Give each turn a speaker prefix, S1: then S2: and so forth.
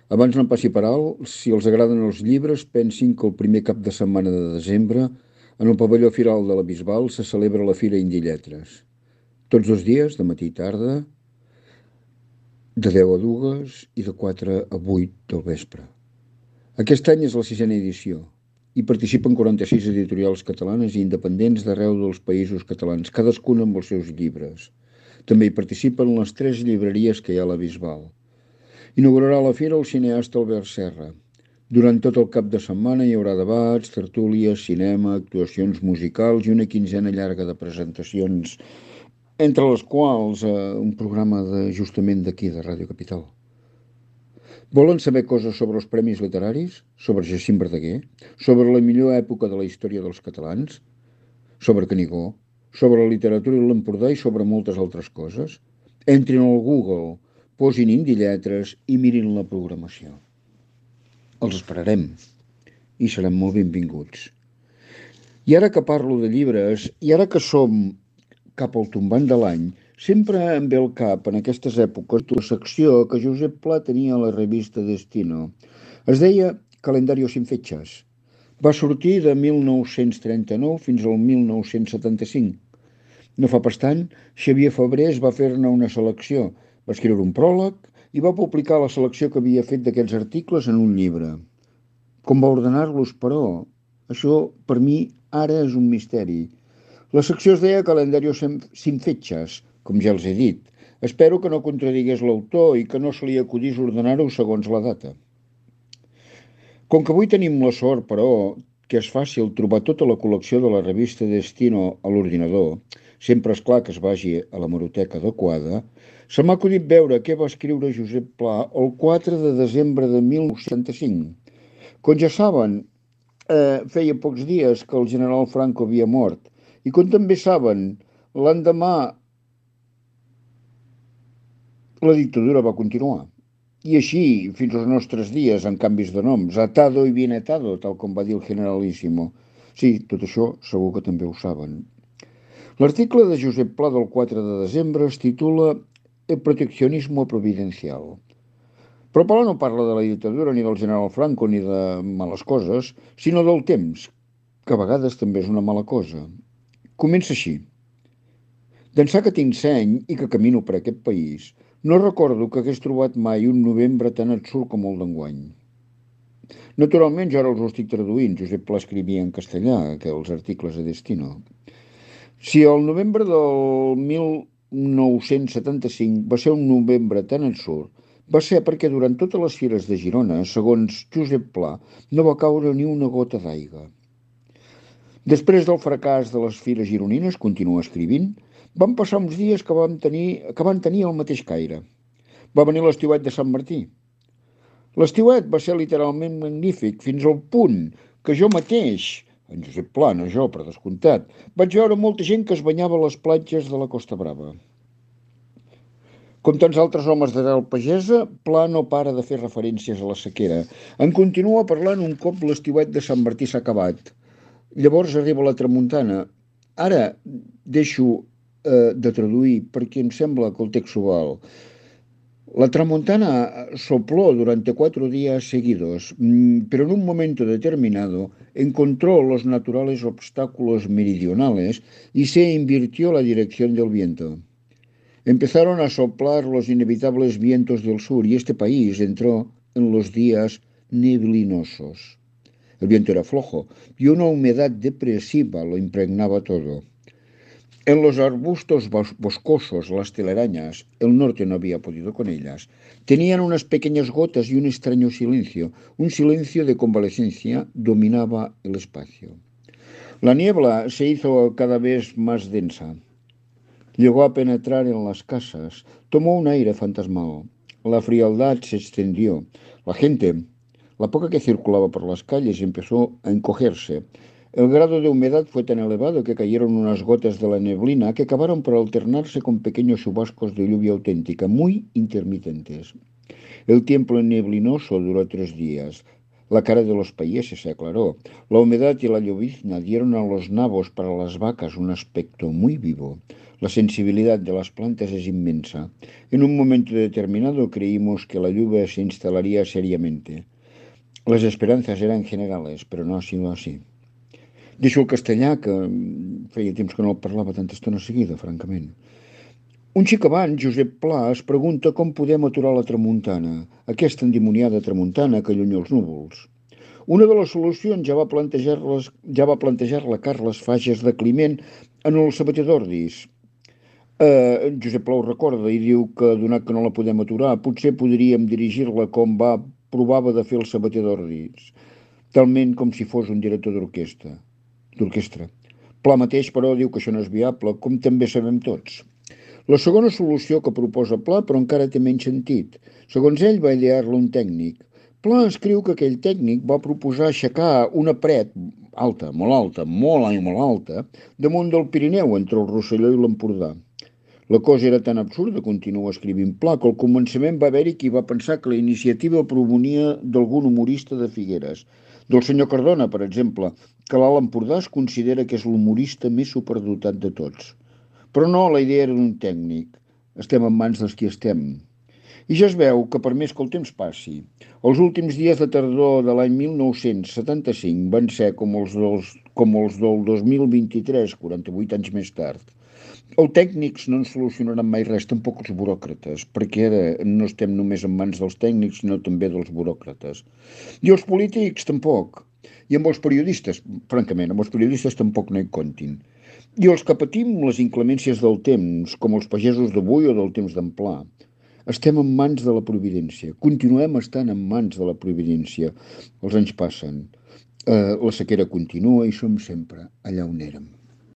S1: Abans no em passi per alt, si els agraden els llibres, pensin que el primer cap de setmana de desembre, en el pavelló Firal de la Bisbal, se celebra la Fira Indi Lletres. Tots els dies, de matí i tarda, de 10 a 2 i de 4 a 8 del vespre. Aquest any és la sisena edició. Hi participen 46 editorials catalanes i independents d'arreu dels països catalans, cadascuna amb els seus llibres. També hi participen les 3 llibreries que hi ha a la Bisbal. Inaugurarà la fira el cineasta Albert Serra. Durant tot el cap de setmana hi haurà debats, tertúlies, cinema, actuacions musicals i una quinzena llarga de presentacions, entre les quals un programa justament d'aquí, de Ràdio Capital. Volen saber coses sobre els premis literaris? Sobre Jacint Verdaguer? Sobre la millor època de la història dels catalans? Sobre Canigó? Sobre la literatura i l'Empordà i sobre moltes altres coses? Entrin al Google, posin Indi Lletres i mirin la programació. Els esperarem i seran molt benvinguts. I ara que parlo de llibres, i ara que som cap al tombant de l'any, sempre em ve al cap en aquestes èpoques una secció que Josep Pla tenia a la revista Destino. Es deia Calendario sin fechas. Va sortir de 1939 fins al 1975. No fa pas tant, Xavier Fabrés va fer-ne una selecció, va escriure un pròleg i va publicar la selecció que havia fet d'aquests articles en un llibre. Com va ordenar-los, però? Això, per mi, ara és un misteri. La secció es deia Calendario sin fechas, com ja els he dit. Espero que no contradigués l'autor i que no se li acudís ordenar-ho segons la data. Com que avui tenim la sort, però, que és fàcil trobar tota la col·lecció de la revista Destino a l'ordinador, sempre és clar que es vagi a la hemeroteca adequada, se m'ha acudit veure què va escriure Josep Pla el 4 de desembre de 1975. Com ja saben, feia pocs dies que el general Franco havia mort, i com també saben, l'endemà la dictadura va continuar. I així, fins als nostres dies, amb canvis de noms, atado i bien atado, tal com va dir el generalíssimo. Sí, tot això segur que també ho saben. L'article de Josep Pla del 4 de desembre es titula El proteccionismo providencial. Però Pla no parla de la dictadura ni del general Franco ni de males coses, sinó del temps, que a vegades també és una mala cosa. Comença així. D'ençà que tinc seny i que camino per aquest país, no recordo que hagués trobat mai un novembre tan absurd com el d'enguany. Naturalment, jo ara els ho estic traduint. Josep Pla escrivia en castellà, els articles de Destino. Si el novembre del 1975 va ser un novembre tan absurd, va ser perquè durant totes les fires de Girona, segons Josep Pla, no va caure ni una gota d'aigua. Després del fracàs de les fires gironines, continua escrivint, van passar uns dies que van tenir el mateix caire. Va venir l'estiuet de Sant Martí. L'estiuet va ser literalment magnífic, fins al punt que jo mateix, en Josep Pla, no jo, per descomptat, vaig veure molta gent que es banyava a les platges de la Costa Brava. Com tants altres homes d'arrel pagesa, Pla no para de fer referències a la sequera. En continua parlant un cop l'estiuet de Sant Martí s'ha acabat. Llavors arriba la tramuntana. Ara deixo de traduir perquè em sembla que el text ho val. La tramontana sopló durante 4 días seguidos, pero en un momento determinado encontró los naturales obstáculos meridionales y se invirtió la dirección del viento. Empezaron a soplar los inevitables vientos del sur y este país entró en los días neblinosos. El viento era flojo y una humedad depresiva lo impregnaba todo. En los arbustos boscosos, las telarañas, el norte no había podido con ellas, tenían unas pequeñas gotas y un extraño silencio. Un silencio de convalecencia dominaba el espacio. La niebla se hizo cada vez más densa. Llegó a penetrar en las casas, tomó un aire fantasmal. La frialdad se extendió. La gente, la poca que circulaba por las calles, empezó a encogerse. El grado de humedad fue tan elevado que cayeron unas gotas de la neblina que acabaron por alternarse con pequeños chubascos de lluvia auténtica, muy intermitentes. El tiempo neblinoso duró 3 días. La cara de los países se aclaró. La humedad y la llovizna dieron a los nabos para las vacas un aspecto muy vivo. La sensibilidad de las plantas es inmensa. En un momento determinado creímos que la lluvia se instalaría seriamente. Las esperanzas eran generales, pero no ha sido así. Deixo el castellà, que feia temps que no el parlava tanta estona seguida, francament. Un xic abans, Josep Pla es pregunta com podem aturar la tramuntana, aquesta endimoniada tramuntana que allunya els núvols. Una de les solucions ja va plantejar-la Carles Fages de Climent en el Sabater d'Ordis. Josep Pla ho recorda i diu que, donat que no la podem aturar, potser podríem dirigir-la com provava de fer el Sabater d'Ordis, talment com si fos un director d'orquestra. Pla mateix, però, diu que això no és viable, com també sabem tots. La segona solució que proposa Pla, però encara té menys sentit. Segons ell, va idear-la un tècnic. Pla escriu que aquell tècnic va proposar aixecar una paret alta, molt alta, damunt del Pirineu, entre el Rosselló i l'Empordà. La cosa era tan absurda, continua escrivint Pla, que al començament va haver-hi qui va pensar que la iniciativa provenia d'algun humorista de Figueres, del senyor Cardona, per exemple, que l'Alt Empordà es considera que és l'humorista més superdotat de tots. Però no, la idea era d'un tècnic. Estem en mans dels qui estem. I ja es veu que per més que el temps passi, els últims dies de tardor de l'any 1975 van ser com els del 2023, 48 anys més tard. Els tècnics no ens solucionaran mai res, tampoc els buròcrates, perquè ara no estem només en mans dels tècnics, sinó també dels buròcrates. I els polítics tampoc. I amb els periodistes, francament, amb els periodistes tampoc no hi comptin. I els que patim les inclemències del temps, com els pagesos d'avui o del temps d'en Pla, estem en mans de la providència. Continuem estant en mans de la providència. Els anys passen, la sequera continua i som sempre allà on érem.